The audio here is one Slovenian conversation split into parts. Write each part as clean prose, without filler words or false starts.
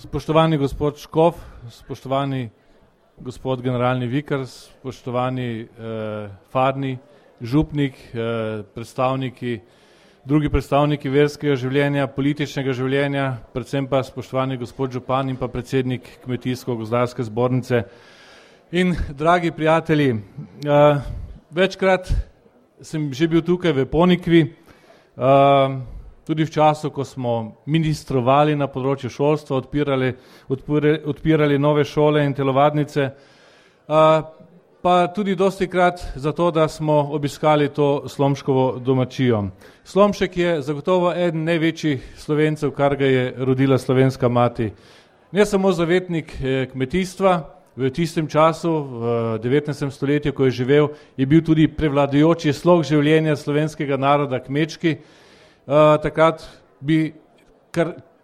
Spoštovani gospod Škof, spoštovani gospod generalni vikar, spoštovani Fadni, župnik, drugi predstavniki verskega življenja, političnega življenja, predvsem pa spoštovani gospod župan in pa predsednik Kmetijsko-gozdarske zbornice in dragi prijatelji. Večkrat sem že bil tukaj v Ponikvi, tudi v času, ko smo ministrovali na področju šolstva, odpirali nove šole in telovadnice, pa tudi dostikrat zato, da smo obiskali to Slomškovo domačijo. Slomšek je zagotovo eden največjih Slovencev, kar ga je rodila slovenska mati. Ne samo zavetnik kmetijstva, v tistem času, v 19. stoletju, ko je živel, je bil tudi prevladujoči slog življenja slovenskega naroda kmečki. Takrat bi,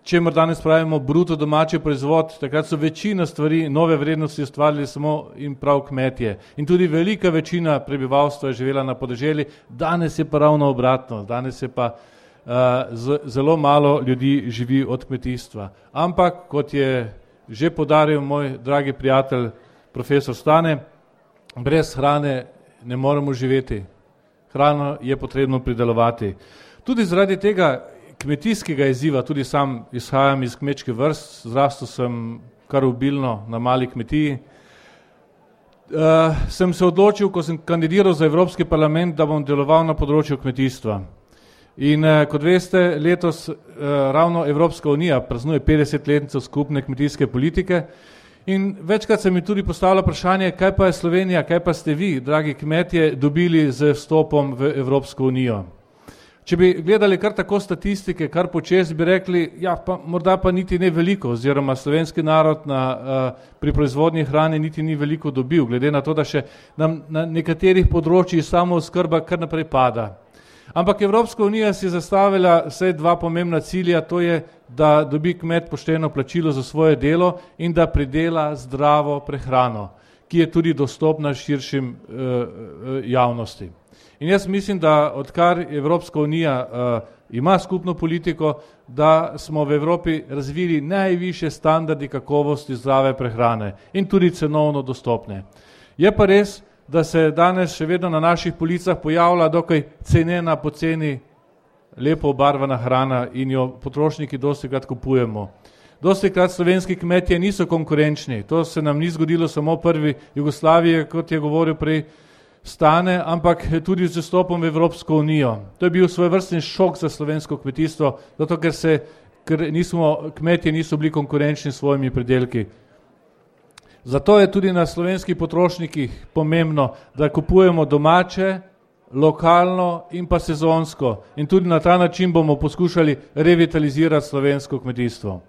čemer danes pravimo bruto domači proizvod, takrat so večina stvari, nove vrednosti ustvarili samo in prav kmetje. In tudi velika večina prebivalstva je živela na podeželju, danes je pa ravno obratno, danes je pa zelo malo ljudi živi od kmetijstva. Ampak, kot je že poudaril moj dragi prijatelj profesor Stane, brez hrane ne moremo živeti. Hrano je potrebno pridelovati. Tudi zaradi tega kmetijskega izziva, tudi sam izhajam iz kmečke vrst, zrastel sem kar obilno na mali kmetiji, sem se odločil, ko sem kandidiral za Evropski parlament, da bom deloval na področju kmetijstva. In kot veste, letos ravno Evropska unija praznuje 50-letnico skupne kmetijske politike in večkrat se mi tudi postavlja vprašanje, kaj pa je Slovenija, kaj pa ste vi, dragi kmetje, dobili z vstopom v Evropsko unijo. Če bi gledali kar tako statistike, kar počez, bi rekli, ja, pa morda pa niti ne veliko, oziroma slovenski narod pri proizvodnji hrane niti ni veliko dobil, glede na to, da še nam na nekaterih področjih samooskrba kar naprej pada. Ampak Evropska unija si je zastavila vsaj dva pomembna cilja, to je, da dobi kmet pošteno plačilo za svoje delo in da pridela zdravo prehrano, ki je tudi dostopna širšim javnosti. In jaz mislim, da odkar Evropska unija ima skupno politiko, da smo v Evropi razvili najvišje standardi kakovosti zdrave prehrane in tudi cenovno dostopne. Je pa res, da se danes še vedno na naših policah pojavlja dokaj cenena, poceni, lepo obarvana hrana in jo potrošniki dostikrat kupujemo. Dostikrat slovenski kmetje niso konkurenčni, to se nam ni zgodilo samo prvi Jugoslaviji, kot je govoril prej Stane, ampak tudi z vstopom v Evropsko unijo. To je bil svojevrsten šok za slovensko kmetijstvo, zato ker kmetje niso bili konkurenčni s svojimi pridelki. Zato je tudi na slovenskih potrošnikih pomembno, da kupujemo domače, lokalno in pa sezonsko. In tudi na ta način bomo poskušali revitalizirati slovensko kmetijstvo.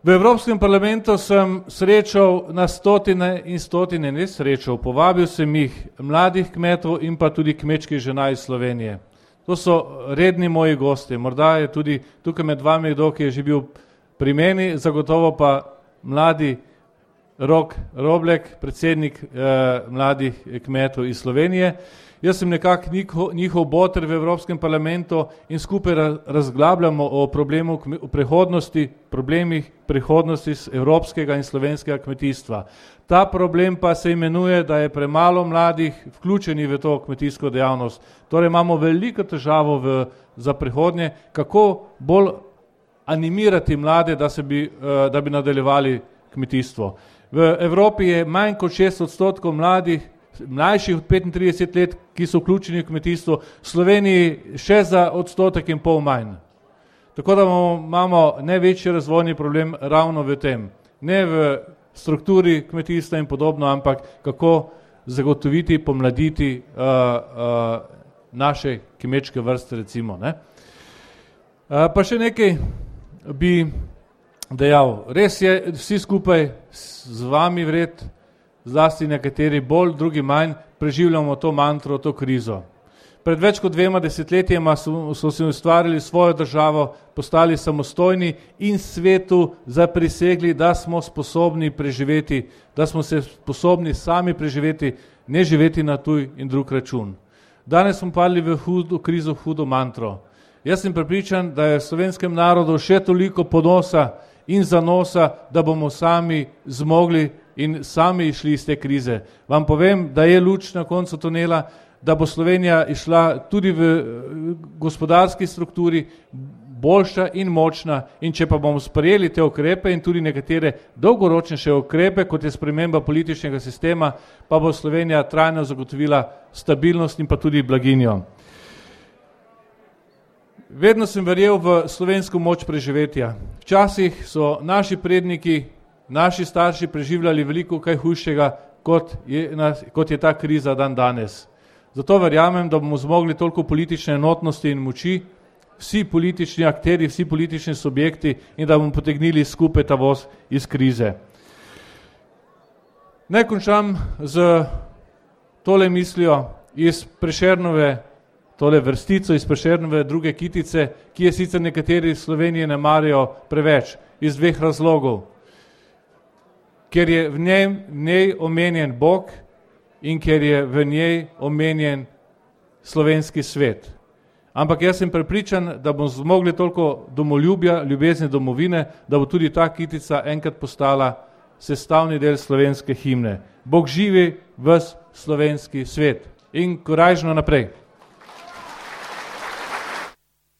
V Evropskem parlamentu sem srečal na stotine in stotine, ne srečal, povabil sem jih mladih kmetov in pa tudi kmečkih žena iz Slovenije. To so redni moji gosti, morda je tudi tukaj med vami kdo, ki je že bil pri meni, zagotovo pa mladi Rok Roblek, predsednik mladih kmetov iz Slovenije. Jaz sem nekako njihov boter v Evropskem parlamentu in skupaj razglabljamo o problemih prihodnosti evropskega in slovenskega kmetijstva. Ta problem pa se imenuje, da je premalo mladih vključeni v to kmetijsko dejavnost. Torej imamo veliko težavo za prihodnje, kako bolj animirati mlade, da bi nadaljevali kmetijstvo. V Evropi je manj kot 6% mlajših od 35 let, ki so vključeni v kmetijstvo, v Sloveniji še za 1,5% manj. Tako da imamo največji razvojni problem ravno v tem. Ne v strukturi kmetijstva in podobno, ampak kako zagotoviti, pomladiti naše kmečke vrste, recimo. Ne? Pa še nekaj bi dejal. Res je, vsi skupaj z vami vred, zlasti nekateri bolj, drugi manj, preživljamo to mantro, to krizo. Pred več kot 2 desetletjema so si ustvarili svojo državo, postali samostojni in svetu zaprisegli, da smo sposobni preživeti, da smo se sposobni sami preživeti, ne živeti na tuj in drug račun. Danes smo padli v hudo krizo, hudo mantro. Jaz sem prepričan, da je v slovenskem narodu še toliko ponosa in zanosa, da bomo sami zmogli in sami išli iz te krize. Vam povem, da je luč na koncu tunela, da bo Slovenija išla tudi v gospodarski strukturi boljša in močna, in če pa bomo sprejeli te ukrepe in tudi nekatere dolgoročnejše ukrepe, kot je sprememba političnega sistema, pa bo Slovenija trajno zagotovila stabilnost in pa tudi blaginjo. Vedno sem verjel v slovensko moč preživetja. Včasih so naši predniki, naši starši preživljali veliko kaj hujšega, kot je ta kriza dan danes. Zato verjamem, da bomo zmogli toliko politične enotnosti in moči, vsi politični akteri, vsi politični subjekti, in da bomo potegnili skupaj ta voz iz krize. Naj končam z tole mislijo iz Prešernove, tole vrstico iz Prešernove druge kitice, ki je sicer nekateri v Sloveniji ne marajo preveč, iz dveh razlogov. Ker je v njej omenjen Bog in ker je v njej omenjen slovenski svet. Ampak jaz sem prepričan, da bomo zmogli toliko domoljubja, ljubezni domovine, da bo tudi ta kitica enkrat postala sestavni del slovenske himne. Bog živi ves slovenski svet in korajžno naprej.